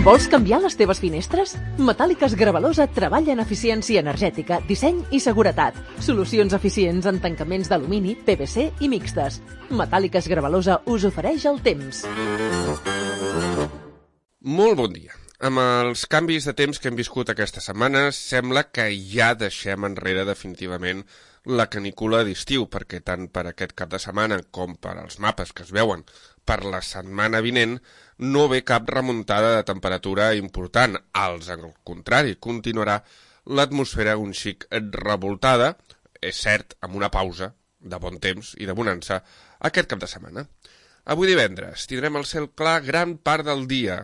Vols canviar les teves finestres? Metàl·liques Gravalosa treballa en eficiència energètica, disseny i seguretat. Solucions eficients en tancaments d'alumini, PVC i mixtes. Metàl·liques Gravalosa us ofereix el temps. Molt bon dia. Amb els canvis de temps que hem viscut aquesta setmana, sembla que ja deixem enrere definitivament la canícula d'estiu, perquè tant per aquest cap de setmana com per als mapes que es veuen per la setmana vinent, no ve cap remuntada de temperatura important. Al contrari, continuarà l'atmosfera un xic revoltada, és cert, amb una pausa de bon temps i de bonança aquest cap de setmana. Avui divendres tindrem el cel clar gran part del dia,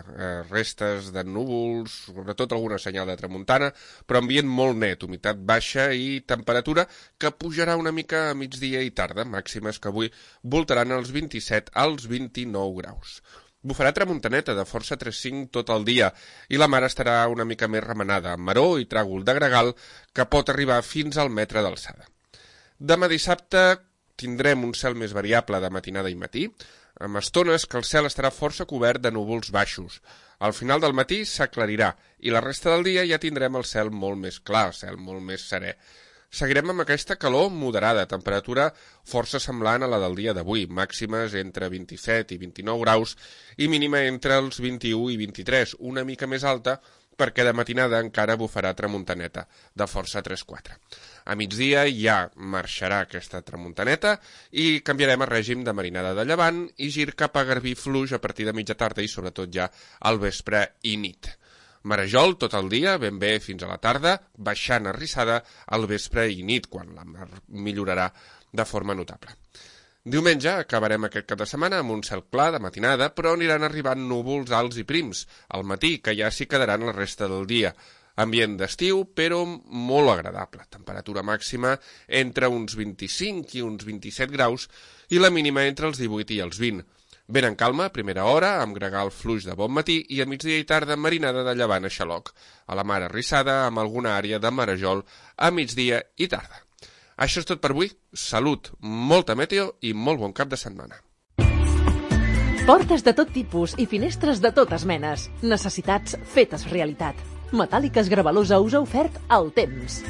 restes de núvols, sobretot alguna senyal de tramuntana, però ambient molt net, humitat baixa i temperatura que pujarà una mica a migdia i tarda, màximes que avui voltaran els 27 als 29 graus. Bufarà tramuntaneta de força 3-5 tot el dia i la mar estarà una mica més remenada, amb maror i tràgol de gregal que pot arribar fins al metre d'alçada. Demà dissabte tindrem un cel més variable de matinada i matí, amb estones que el cel estarà força cobert de núvols baixos. Al final del matí s'aclarirà i la resta del dia ja tindrem el cel molt més clar, el cel molt més serè. Seguirem amb aquesta calor moderada, temperatura força semblant a la del dia d'avui, màximes entre 27 i 29 graus i mínima entre els 21 i 23, una mica més alta perquè de matinada encara bufarà tramuntaneta, de força 3-4. A migdia ja marxarà aquesta tramuntaneta i canviarem el règim de marinada de llevant i gir cap a garbí fluix a partir de mitja tarda i sobretot ja al vespre i nit. Marejol tot el dia, ben bé fins a la tarda, baixant arrissada al vespre i nit, quan la mar millorarà de forma notable. Diumenge acabarem aquest cap de setmana amb un cel clar de matinada, però aniran arribant núvols alts i prims al matí, que ja s'hi quedaran la resta del dia. Ambient d'estiu, però molt agradable. Temperatura màxima entre uns 25 i uns 27 graus i la mínima entre els 18 i els 20. Vent en calma a primera hora, amb gregal fluix de bon matí i a migdia i tarda marinada de llevant a xaloc. A la mar arrissada amb alguna àrea de marejol a migdia i tarda. Això és tot per avui. Salut, molta meteo i molt bon cap de setmana. Portes de tot tipus i finestres de totes menes. Necessitats fetes realitat. Metàl·liques Gravalosa us ha ofert el temps.